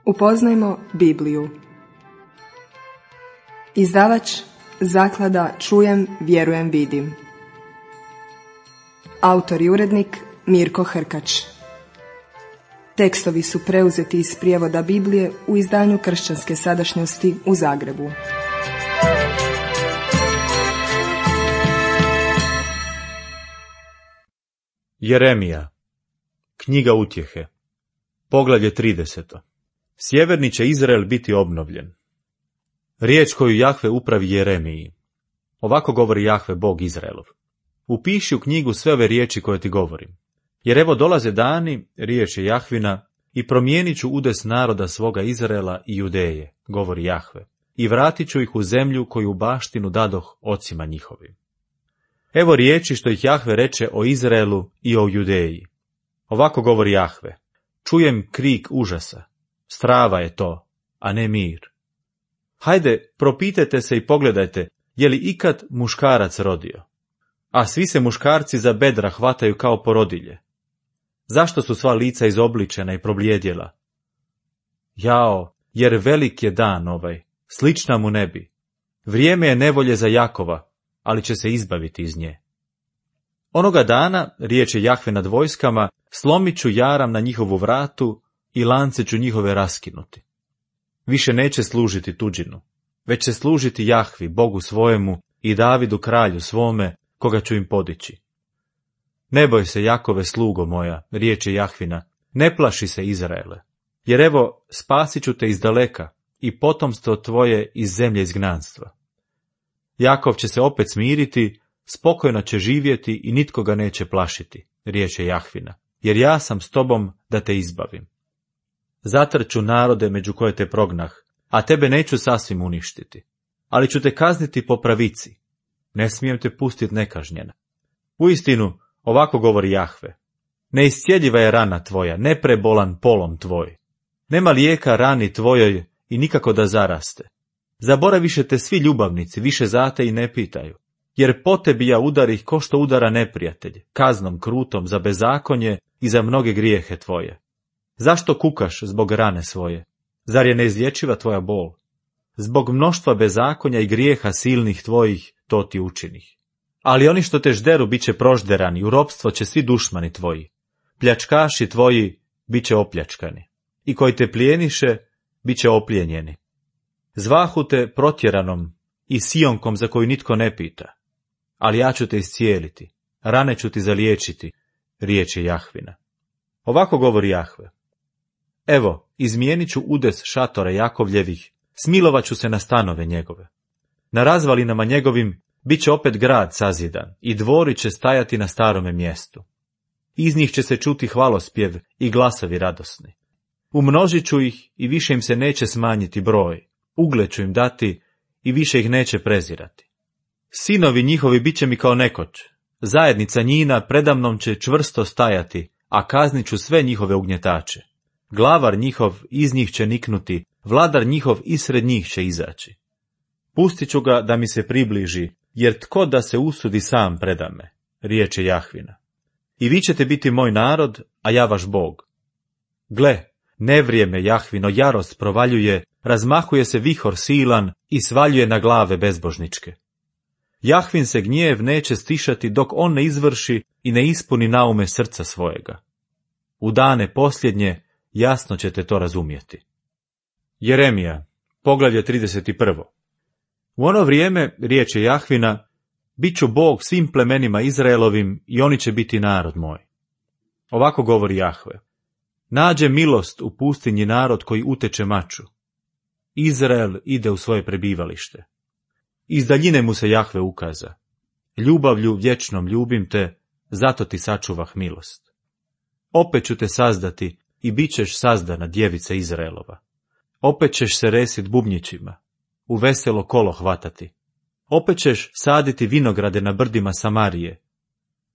Upoznajmo Bibliju. Izdavač Zaklada Čujem, vjerujem, vidim. Autor i urednik Mirko Hrkač. Tekstovi su preuzeti iz prijevoda Biblije u izdanju Kršćanske sadašnjosti u Zagrebu. Jeremija. Knjiga utjehe. Poglavlje 30. Sjeverni će Izrael biti obnovljen. Riječ koju Jahve upravi Jeremiji. Ovako govori Jahve, Bog Izraelov. Upiši u knjigu sve ove riječi koje ti govorim. Jer evo dolaze dani, riječ je Jahvina, i promijenit ću udes naroda svoga Izraela i Judeje, govori Jahve, i vratit ću ih u zemlju koju u baštinu dadoh ocima njihovim. Evo riječi što ih Jahve reče o Izraelu i o Judeji. Ovako govori Jahve. Čujem krik užasa. Strava je to, a ne mir. Hajde, propitajte se i pogledajte, je li ikad muškarac rodio? A svi se muškarci za bedra hvataju kao porodilje. Zašto su sva lica izobličena i probljedjela? Jao, jer velik je dan ovaj, slična mu ne bi. Vrijeme je nevolje za Jakova, ali će se izbaviti iz nje. Onoga dana, riječ je Jahve nad vojskama, slomit ću jaram na njihovu vratu i lance ću njihove raskinuti. Više neće služiti tuđinu, već će služiti Jahvi, Bogu svojemu, i Davidu kralju svome, koga ću im podići. Ne boj se, Jakove, slugo moja, riječ je Jahvina, ne plaši se, Izraele, jer evo spasit ću te iz daleka i potomstvo tvoje iz zemlje izgnanstva. Jakov će se opet smiriti, spokojno će živjeti i nitko ga neće plašiti, riječ je Jahvina, jer ja sam s tobom da te izbavim. Zatrću narode među koje te prognah, a tebe neću sasvim uništiti, ali ću te kazniti po pravici. Ne smijem te pustiti nekažnjena. Uistinu, ovako govori Jahve. Neiscjeljiva je rana tvoja, neprebolan polom tvoj. Nema lijeka rani tvojoj i nikako da zaraste. Zaboraviše te svi ljubavnici, više za te i ne pitaju. Jer po tebi ja udarih ko što udara neprijatelj, kaznom krutom za bezakonje i za mnoge grijehe tvoje. Zašto kukaš zbog rane svoje? Zar je neizlječiva tvoja bol? Zbog mnoštva bezakonja i grijeha silnih tvojih to ti učinih. Ali oni što te žderu bit će prožderani, u ropstvo će svi dušmani tvoji. Pljačkaši tvoji bit će opljačkani, i koji te plijeniše bit će oplijenjeni. Zvahu te protjeranom i sionkom za koju nitko ne pita. Ali ja ću te iscijeliti, rane ću ti zaliječiti, riječ je Jahvina. Ovako govori Jahve. Evo, izmijenit ću udes šatora Jakovljevih, smilovat ću se na stanove njegove. Na razvalinama njegovim bit će opet grad sazidan i dvori će stajati na starome mjestu. Iz njih će se čuti hvalospjev i glasovi radosni. Umnožit ću ih i više im se neće smanjiti broj, ugled ću im dati i više ih neće prezirati. Sinovi njihovi bit će mi kao nekoć, zajednica njina predamnom će čvrsto stajati, a kaznit ću sve njihove ugnjetače. Glavar njihov iz njih će niknuti, vladar njihov isred njih će izaći. Pustit ću ga da mi se približi, jer tko da se usudi sam predame, riječ je Jahvina. I vi ćete biti moj narod, a ja vaš Bog. Gle, nevrijeme Jahvino jarost provaljuje, razmahuje se vihor silan i svaljuje na glave bezbožničke. Jahvin se gnjev neće stišati dok on ne izvrši i ne ispuni naume srca svojega. U dane posljednje jasno ćete to razumjeti. Jeremija, poglavlje 31. U ono vrijeme, riječ je Jahvina, bit ću Bog svim plemenima Izraelovim i oni će biti narod moj. Ovako govori Jahve. Nađe milost u pustinji narod koji uteče maču. Izrael ide u svoje prebivalište. Iz daljine mu se Jahve ukaza. Ljubavlju vječnom ljubim te, zato ti sačuvah milost. Opet ću te sazdati i bit ćeš sazdana, djevica Izraelova. Opet ćeš se resit bubnjićima, u veselo kolo hvatati. Opet ćeš saditi vinograde na brdima Samarije.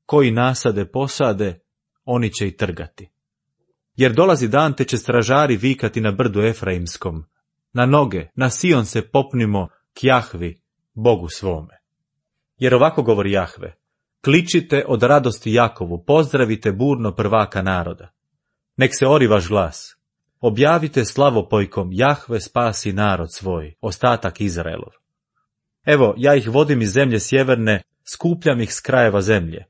Koji nasade posade, oni će i trgati. Jer dolazi dan te će stražari vikati na brdu Efraimskom. Na noge, na Sion se popnimo k Jahvi, Bogu svome. Jer ovako govori Jahve. Kličite od radosti Jakovu, pozdravite burno prvaka naroda. Nek se ori vaš glas. objavite slavopojkom, Jahve spasi narod svoj, ostatak Izraelov. Evo, ja ih vodim iz zemlje sjeverne, skupljam ih s krajeva zemlje.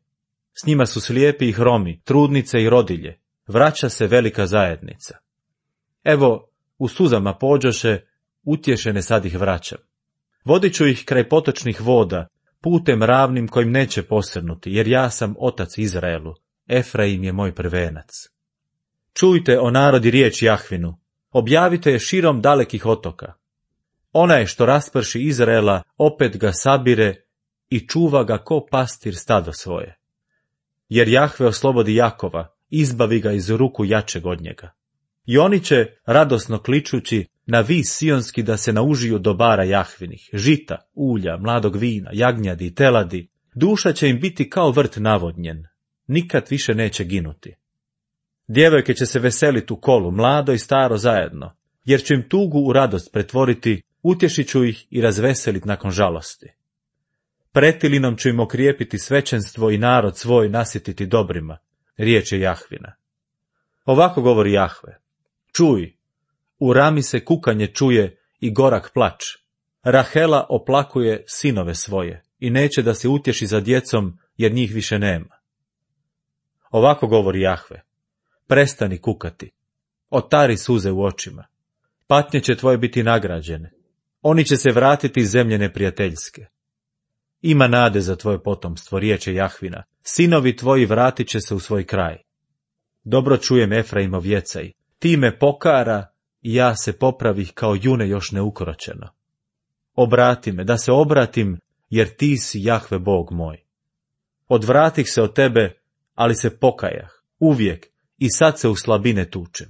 S njima su slijepi i hromi, trudnice i rodilje, vraća se velika zajednica. Evo, u suzama pođoše, utješene sad ih vraćam. Vodit ću ih kraj potočnih voda, putem ravnim kojim neće posrnuti, jer ja sam otac Izraelu, Efraim je moj prvenac. Čujte, o narodi, riječ Jahvinu, objavite je širom dalekih otoka. Onaj što rasprši Izraela, opet ga sabire i čuva ga ko pastir stado svoje. Jer Jahve oslobodi Jakova, izbavi ga iz ruku jačeg od njega. I oni će, radosno kličući, na vis sionski da se naužiju dobara Jahvinih, žita, ulja, mladog vina, jagnjadi i teladi, duša će im biti kao vrt navodnjen, nikad više neće ginuti. Djevojke će se veseliti u kolu, mlado i staro zajedno, jer ću im tugu u radost pretvoriti, utješit ću ih i razveselit nakon žalosti. Pretilinom ću im okrijepiti svećenstvo i narod svoj nasjetiti dobrima, riječ je Jahvina. Ovako govori Jahve, čuj, u Rami se kukanje čuje i gorak plač. Rahela oplakuje sinove svoje i neće da se utješi za djecom, jer njih više nema. Ovako govori Jahve, prestani kukati, otari suze u očima, patnje će tvoje biti nagrađene, oni će se vratiti iz zemlje neprijateljske. Ima nade za tvoje potomstvo, riječ je Jahvina, sinovi tvoji vratit će se u svoj kraj. Dobro čujem Efraimov jecaj, ti me pokara i ja se popravih kao june još neukročeno. Obrati me, da se obratim, jer ti si Jahve Bog moj. Odvratih se od tebe, ali se pokajah, uvijek, i sad se u slabine tučem.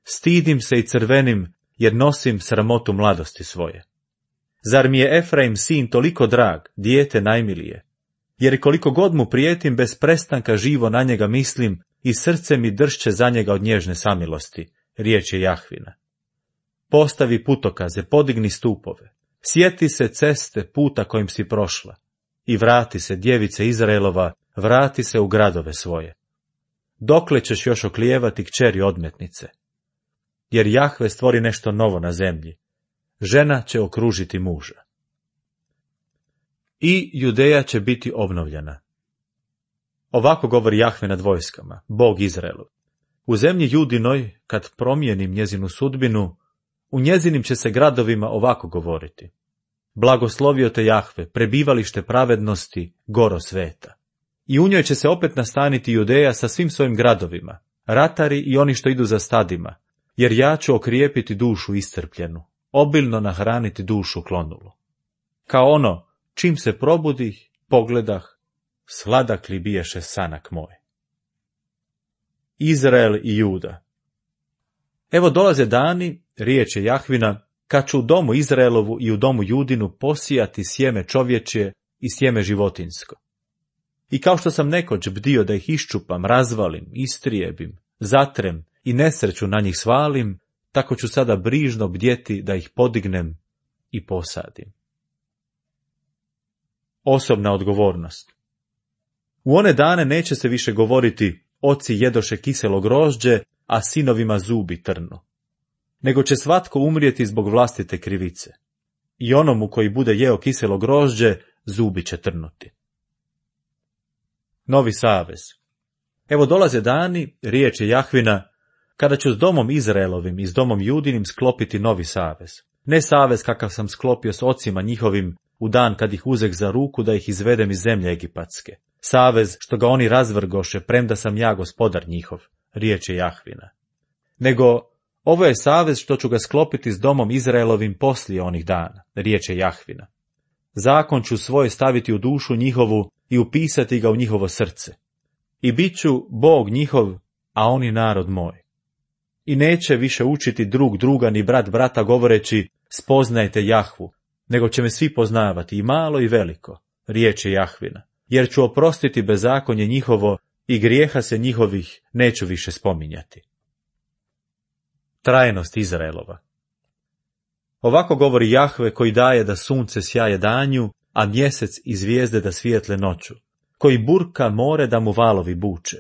Stidim se i crvenim, jer nosim sramotu mladosti svoje. Zar mi je Efraim sin toliko drag, dijete najmilije? Jer koliko god mu prijetim, bez prestanka živo na njega mislim i srce mi dršće za njega od nježne samilosti, riječ je Jahvina. Postavi putokaze, podigni stupove, sjeti se ceste puta kojim si prošla i vrati se, djevice Izraelova, vrati se u gradove svoje. Dokle ćeš još oklijevati, kćeri odmetnice? Jer Jahve stvori nešto novo na zemlji. Žena će okružiti muža. I Judeja će biti obnovljena. Ovako govori Jahve nad vojskama, Bog Izraelu. U zemlji Judinoj, kad promijenim njezinu sudbinu, u njezinim će se gradovima ovako govoriti. Blagoslovio te Jahve, prebivalište pravednosti, goro sveta. I u njoj će se opet nastaniti Judeja sa svim svojim gradovima, ratari i oni što idu za stadima, jer ja ću okrijepiti dušu iscrpljenu, obilno nahraniti dušu klonulu. Kao ono, čim se probudih, pogledah, sladak li biješe sanak moj. Izrael i Juda. Evo dolaze dani, riječ je Jahvina, kad ću u domu Izraelovu i u domu Judinu posijati sjeme čovječje i sjeme životinjsko. I kao što sam nekoć bdio da ih iščupam, razvalim, istrijebim, zatrem i nesreću na njih svalim, tako ću sada brižno bdjeti da ih podignem i posadim. Osobna odgovornost. U one dane neće se više govoriti oci jedoše kiselo grožđe, a sinovima zubi trnu. Nego će svatko umrijeti zbog vlastite krivice. I onomu koji bude jeo kiselo grožđe, zubi će trnuti. Novi savez. Evo dolaze dani, riječ je Jahvina, kada ću s domom Izraelovim i s domom Judinim sklopiti novi savez. Ne savez kakav sam sklopio s ocima njihovim u dan kad ih uzeh za ruku da ih izvedem iz zemlje egipatske. Savez što ga oni razvrgoše, premda sam ja gospodar njihov, riječ je Jahvina. Nego ovo je savez što ću ga sklopiti s domom Izraelovim poslije onih dana, riječ je Jahvina. Zakon ću svoje staviti u dušu njihovu i upisati ga u njihovo srce. I bit ću Bog njihov, a oni narod moj. I neće više učiti drug druga ni brat brata govoreći spoznajte Jahvu, nego će me svi poznavati i malo i veliko, riječ je Jahvina, jer ću oprostiti bezakonje njihovo i grijeha se njihovih neću više spominjati. Trajnost Izraelova. Ovako govori Jahve koji daje da sunce sjaje danju, a mjesec i zvijezde da svijetle noću, koji burka more da mu valovi buče.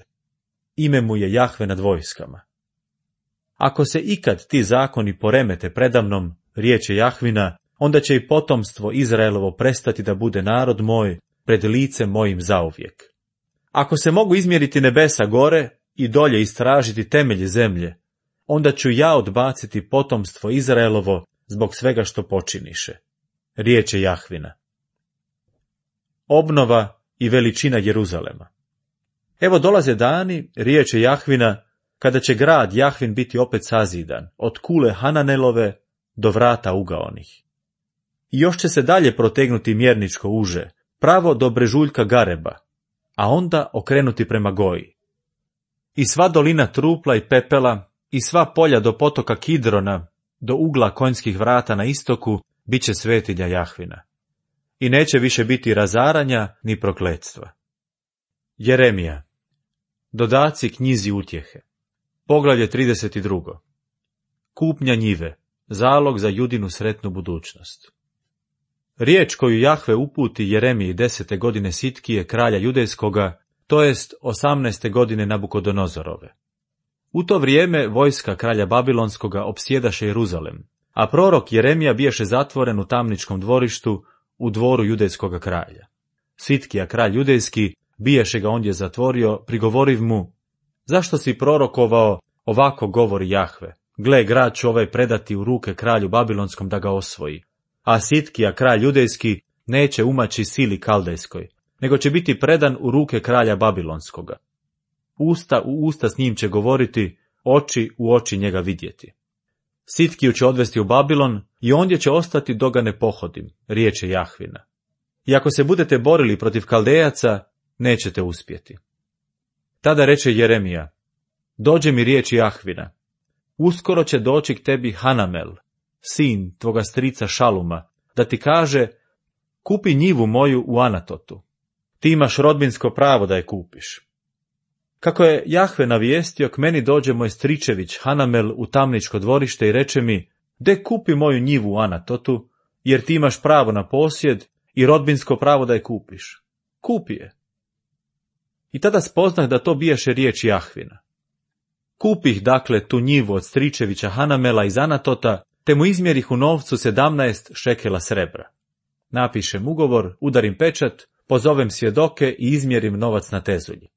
Ime mu je Jahve nad vojskama. Ako se ikad ti zakoni poremete predamnom, riječ je Jahvina, onda će i potomstvo Izraelovo prestati da bude narod moj pred licem mojim zauvijek. Ako se mogu izmjeriti nebesa gore i dolje istražiti temelje zemlje, onda ću ja odbaciti potomstvo Izraelovo zbog svega što počiniše. Riječ je Jahvina. Obnova i veličina Jeruzalema. Evo dolaze dani, riječ je Jahvina, kada će grad Jahvin biti opet sazidan, od kule Hananelove do vrata ugaonih. I još će se dalje protegnuti mjerničko uže, pravo do brežuljka Gareba, a onda okrenuti prema Goji. I sva dolina trupla i pepela, i sva polja do potoka Kidrona, do ugla konjskih vrata na istoku, bit će svetinja Jahvina. I neće više biti razaranja ni prokletstva. Jeremija. Dodaci knjizi utjehe. Poglavlje 32. Kupnja njive, zalog za Judinu sretnu budućnost. Riječ koju Jahve uputi Jeremiji 10. godine Sitkije, kralja judejskoga, to jest 18. godine Nabukodonozorove. U to vrijeme vojska kralja Babilonskoga opsjedaše Jeruzalem, a prorok Jeremija biješe zatvoren u tamničkom dvorištu u dvoru judejskoga kralja. Sitkija, kralj judejski, biješe ga ondje zatvorio, prigovoriv mu: zašto si prorokovao, ovako govori Jahve, gle, grad će ovaj predati u ruke kralju Babilonskom da ga osvoji, a Sitkija, kralj judejski, neće umaći sili kaldejskoj, nego će biti predan u ruke kralja Babilonskoga. Usta u usta s njim će govoriti, oči u oči njega vidjeti. Sitkiju će odvesti u Babilon i ondje će ostati dok ga ne pohodim, riječ je Jahvina. I ako se budete borili protiv Kaldejaca, nećete uspjeti. Tada reče Jeremija: dođe mi riječ Jahvina, uskoro će doći k tebi Hanamel, sin tvoga strica Šaluma, da ti kaže: kupi njivu moju u Anatotu. Ti imaš rodbinsko pravo da je kupiš. Kako je Jahve navijestio, k meni dođe moj stričević Hanamel u tamničko dvorište i reče mi: de kupi moju njivu u Anatotu, jer ti imaš pravo na posjed i rodbinsko pravo da je kupiš. Kupi je. I tada spoznah da to biješe riječ Jahvina. Kupih dakle tu njivu od stričevića Hanamela iz Anatota, te mu izmjerih u novcu 17 šekela srebra. Napišem ugovor, udarim pečat, pozovem svjedoke i izmjerim novac na tezulji.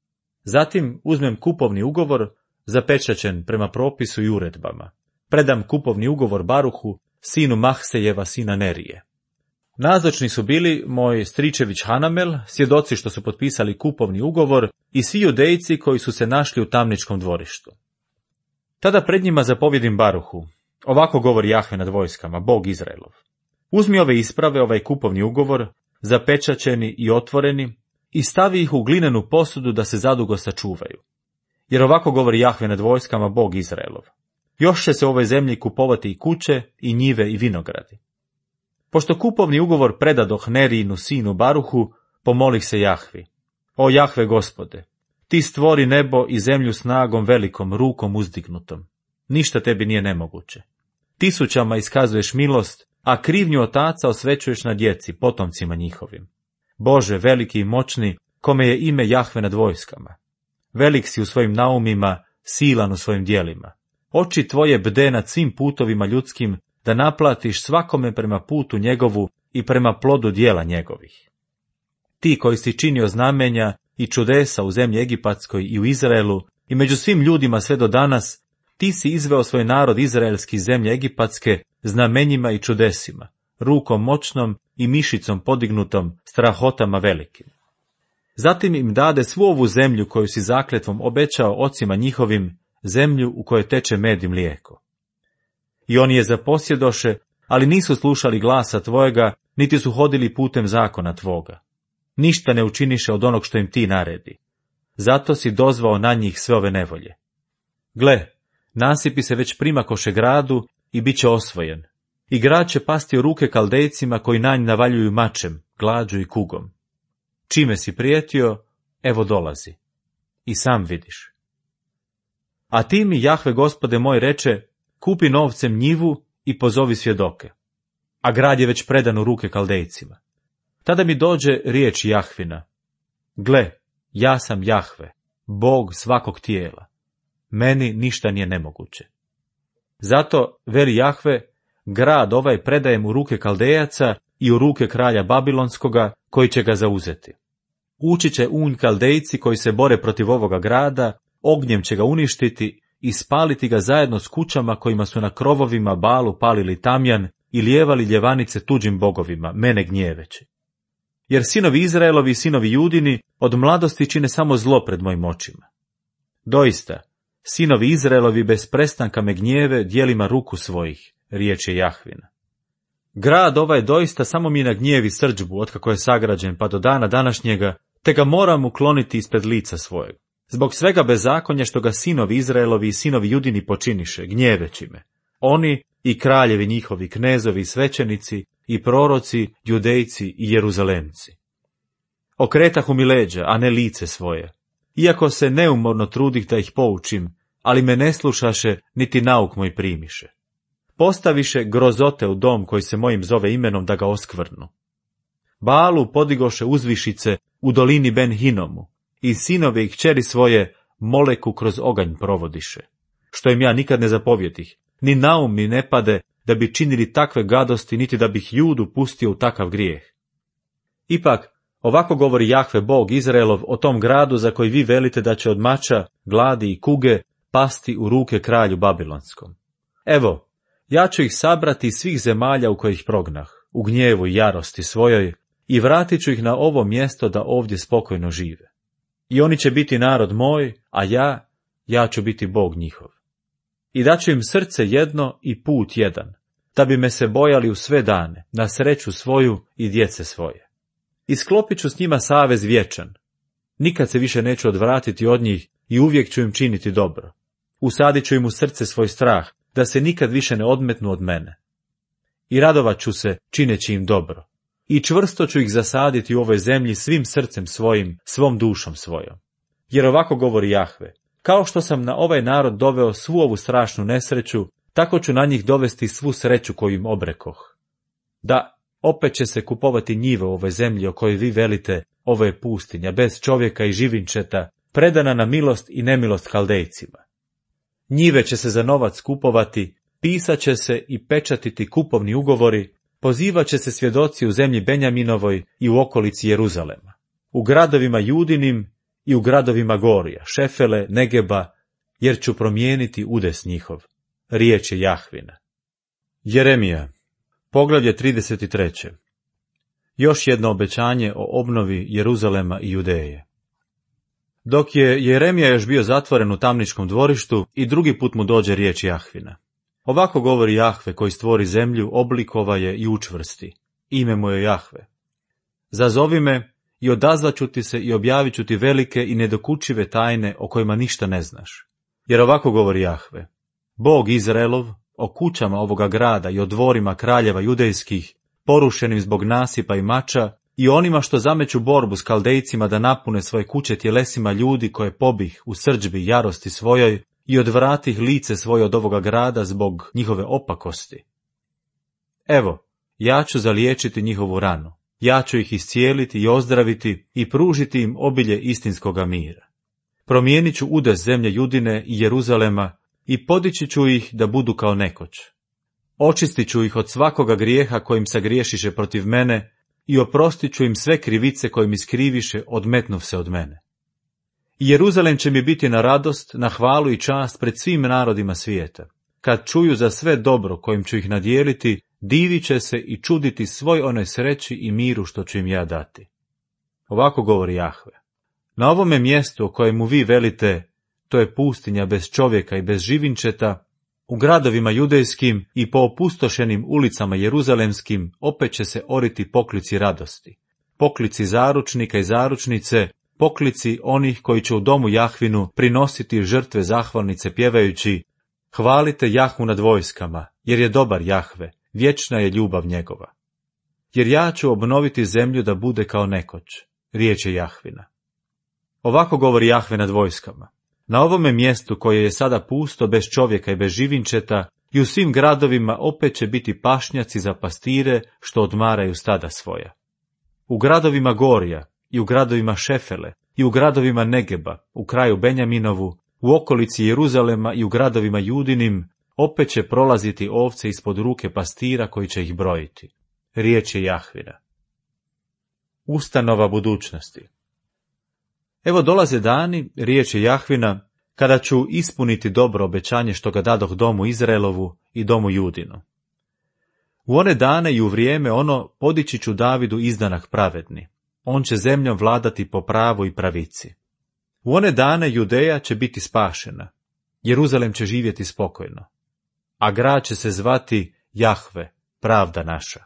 Zatim uzmem kupovni ugovor, zapečaćen prema propisu i uredbama. Predam kupovni ugovor Baruhu, sinu Mahsejeva, sina Nerije. Nazočni su bili moj stričević Hanamel, svjedoci što su potpisali kupovni ugovor, i svi judejci koji su se našli u tamničkom dvorištu. Tada pred njima zapovjedim Baruhu: ovako govori Jahve nad vojskama, Bog Izraelov. Uzmi ove isprave, ovaj kupovni ugovor, zapečaćeni i otvoreni, i stavi ih u glinenu posudu da se zadugo sačuvaju. Jer ovako govori Jahve nad vojskama, Bog Izraelov: još će se u ovoj zemlji kupovati i kuće, i njive, i vinogradi. Pošto kupovni ugovor predadoh Nerijinu sinu Baruhu, pomolih se Jahvi: o Jahve Gospode, ti stvori nebo i zemlju snagom velikom, rukom uzdignutom. Ništa tebi nije nemoguće. Tisućama iskazuješ milost, a krivnju otaca osvećuješ na djeci, potomcima njihovim. Bože, veliki i moćni, kome je ime Jahve nad vojskama. Velik si u svojim naumima, silan u svojim djelima. Oči tvoje bde nad svim putovima ljudskim, da naplatiš svakome prema putu njegovu i prema plodu djela njegovih. Ti koji si činio znamenja i čudesa u zemlji Egipatskoj i u Izraelu i među svim ljudima sve do danas, ti si izveo svoj narod izraelski iz zemlje Egipatske znamenjima i čudesima, rukom moćnom i mišicom podignutom, strahotama velikim. Zatim im dade svu ovu zemlju koju si zakletvom obećao ocima njihovim, zemlju u kojoj teče med i mlijeko. I oni je zaposjedoše, ali nisu slušali glasa tvojega, niti su hodili putem zakona tvoga. Ništa ne učiniše od onog što im ti naredi. Zato si dozvao na njih sve ove nevolje. Gle, nasipi se već primakoše gradu i bit će osvojen. I grad će pasti u ruke Kaldejcima koji na nj navaljuju mačem, glađu i kugom. Čime si prijetio, evo dolazi. I sam vidiš. A ti mi, Jahve Gospode moj, reče: kupi novcem njivu i pozovi svjedoke. A grad je već predan u ruke Kaldejcima. Tada mi dođe riječ Jahvina: gle, ja sam Jahve, Bog svakog tijela. Meni ništa nije nemoguće. Zato, veli Jahve, grad ovaj predajem u ruke Kaldejaca i u ruke kralja Babilonskoga, koji će ga zauzeti. Ući će Kaldejci koji se bore protiv ovoga grada, ognjem će ga uništiti i spaliti ga zajedno s kućama kojima su na krovovima Balu palili tamjan i lijevali ljevanice tuđim bogovima, mene gnjeveći. Jer sinovi Izraelovi i sinovi Judini od mladosti čine samo zlo pred mojim očima. Doista, sinovi Izraelovi bez prestanka me gnjeve djelima ruku svojih, riječ je Jahvina. Grad ovaj doista samo mi nagnjevi srdžbu otkako je sagrađen pa do dana današnjega, te ga moram ukloniti ispred lica svojeg. Zbog svega bezakonja što ga sinovi Izraelovi i sinovi Judini počiniše, gnjeveći me. Oni i kraljevi njihovi, knezovi i svećenici, i proroci, Judejci i Jeruzalemci. Okretahu mi leđa, a ne lice svoje. Iako se neumorno trudih da ih poučim, ali me ne slušaše, niti nauk moj primiše. Postaviše grozote u dom koji se mojim zove imenom da ga oskvrnu. Balu podigoše uzvišice u dolini Ben Hinomu i sinove i kćeri svoje Moleku kroz oganj provodiše, što im ja nikad ne zapovjetih, ni naum mi ne pade da bi činili takve gadosti, niti da bih Judu pustio u takav grijeh. Ipak, ovako govori Jahve Bog Izraelov o tom gradu za koji vi velite da će od mača, gladi i kuge pasti u ruke kralju Babilonskom. Evo, ja ću ih sabrati iz svih zemalja u kojih prognah, u gnjevu i jarosti svojoj, i vratit ću ih na ovo mjesto da ovdje spokojno žive. I oni će biti narod moj, a ja ću biti Bog njihov. I daću im srce jedno i put jedan, da bi me se bojali u sve dane, na sreću svoju i djece svoje. I sklopit ću s njima savez vječan. Nikad se više neću odvratiti od njih i uvijek ću im činiti dobro. Usadit ću im u srce svoj strah, da se nikad više ne odmetnu od mene. I radovat ću se čineći im dobro. I čvrsto ću ih zasaditi u ovoj zemlji svim srcem svojim, svom dušom svojom. Jer ovako govori Jahve, kao što sam na ovaj narod doveo svu ovu strašnu nesreću, tako ću na njih dovesti svu sreću koju im obrekoh. Da, opet će se kupovati njive u ovoj zemlji o kojoj vi velite, ovo je pustinja, bez čovjeka i živinčeta, predana na milost i nemilost Kaldejcima. Njive će se za novac kupovati, pisat će se i pečatiti kupovni ugovori, pozivat će se svjedoci u zemlji Benjaminovoj i u okolici Jeruzalema, u gradovima Judinim i u gradovima Gorija, Šefele, Negeba, jer ću promijeniti udes njihov. Riječ je Jahvina. Jeremija, poglavlje 33. Još jedno obećanje o obnovi Jeruzalema i Judeje. Dok je Jeremija još bio zatvoren u tamničkom dvorištu i drugi put mu dođe riječ Jahvina. Ovako govori Jahve koji stvori zemlju, oblikova je i učvrsti. Ime mu je Jahve. Zazovi me i odazvaću ti se i objavit ću ti velike i nedokučive tajne o kojima ništa ne znaš. Jer ovako govori Jahve. Bog Izraelov, o kućama ovoga grada i o dvorima kraljeva judejskih, porušenim zbog nasipa i mača, i onima što zameću borbu s Kaldejcima da napune svoje kuće tjelesima ljudi koje pobih u srdžbi jarosti svojoj i odvratih lice svoje od ovoga grada zbog njihove opakosti. Evo, ja ću zaliječiti njihovu ranu, ja ću ih iscijeliti i ozdraviti i pružiti im obilje istinskoga mira. Promijenit ću udes zemlje Judine i Jeruzalema i podići ću ih da budu kao nekoć. Očistit ću ih od svakoga grijeha kojim se griješiše protiv mene i oprostit ću im sve krivice kojim iskriviše odmetnuv se od mene. I Jeruzalem će mi biti na radost, na hvalu i čast pred svim narodima svijeta. Kad čuju za sve dobro kojim ću ih nadijeliti, divit će se i čuditi svoj onoj sreći i miru što ću im ja dati. Ovako govori Jahve. Na ovome mjestu o kojemu vi velite, to je pustinja bez čovjeka i bez živinčeta, u gradovima judejskim i po opustošenim ulicama jeruzalemskim opet će se oriti poklici radosti. Poklici zaručnika i zaručnice, poklici onih koji će u domu Jahvinu prinositi žrtve zahvalnice pjevajući: hvalite Jahvu nad vojskama, jer je dobar Jahve, vječna je ljubav njegova. Jer ja ću obnoviti zemlju da bude kao nekoć, riječ je Jahvina. Ovako govori Jahve nad vojskama. Na ovome mjestu koje je sada pusto bez čovjeka i bez živinčeta i u svim gradovima opet će biti pašnjaci za pastire što odmaraju stada svoja. U gradovima Gorija i u gradovima Šefele i u gradovima Negeba, u kraju Benjaminovu, u okolici Jeruzalema i u gradovima Judinim, opet će prolaziti ovce ispod ruke pastira koji će ih brojiti. Riječ je Jahvina. Ustanova budućnosti. Evo dolaze dani, riječ je Jahvina, kada ću ispuniti dobro obećanje što ga dadoh domu Izraelovu i domu Judinu. U one dane i u vrijeme ono podići ću Davidu izdanak pravedni. On će zemljom vladati po pravu i pravici. U one dane Judeja će biti spašena. Jeruzalem će živjeti spokojno. A grad će se zvati Jahve, pravda naša.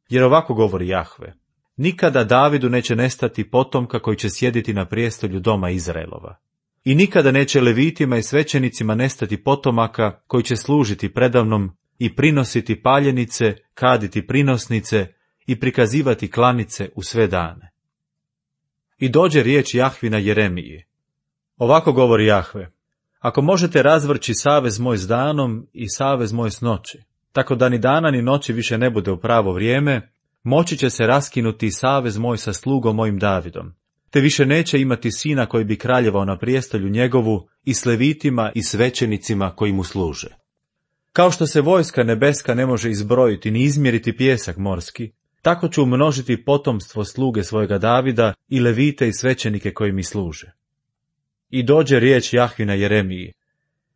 Jer ovako govori Jahve. Nikada Davidu neće nestati potomka koji će sjediti na prijestolju doma Izraelova. I nikada neće levitima i svećenicima nestati potomaka koji će služiti predavnom i prinositi paljenice, kaditi prinosnice i prikazivati klanice u sve dane. I dođe riječ Jahvina Jeremiji. Ovako govori Jahve. Ako možete razvrći savez moj s danom i savez moj s noći, tako da ni dana ni noći više ne bude u pravo vrijeme, moći će se raskinuti savez moj sa slugom mojim Davidom, te više neće imati sina koji bi kraljevao na prijestolju njegovu i s levitima i svećenicima koji mu služe. Kao što se vojska nebeska ne može izbrojiti ni izmjeriti pijesak morski, tako ću umnožiti potomstvo sluge svojega Davida i levite i svećenike koji mi služe. I dođe riječ Jahvina Jeremiji.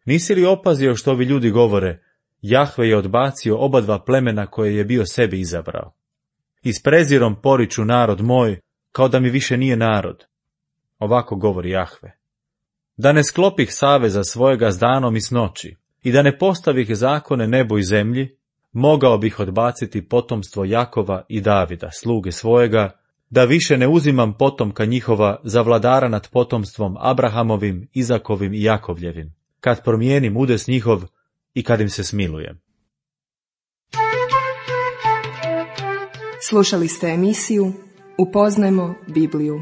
Nisi li opazio što ovi ljudi govore, Jahve je odbacio oba dva plemena koje je bio sebi izabrao. I s prezirom poriču narod moj, kao da mi više nije narod. Ovako govori Jahve. Da ne sklopih saveza svojega s danom i s noći, i da ne postavih zakone nebu i zemlji, mogao bih odbaciti potomstvo Jakova i Davida, sluge svojega, da više ne uzimam potomka njihova za vladara nad potomstvom Abrahamovim, Izakovim i Jakovljevim, kad promijenim udes njihov i kad im se smilujem. Slušali ste emisiju Upoznajmo Bibliju.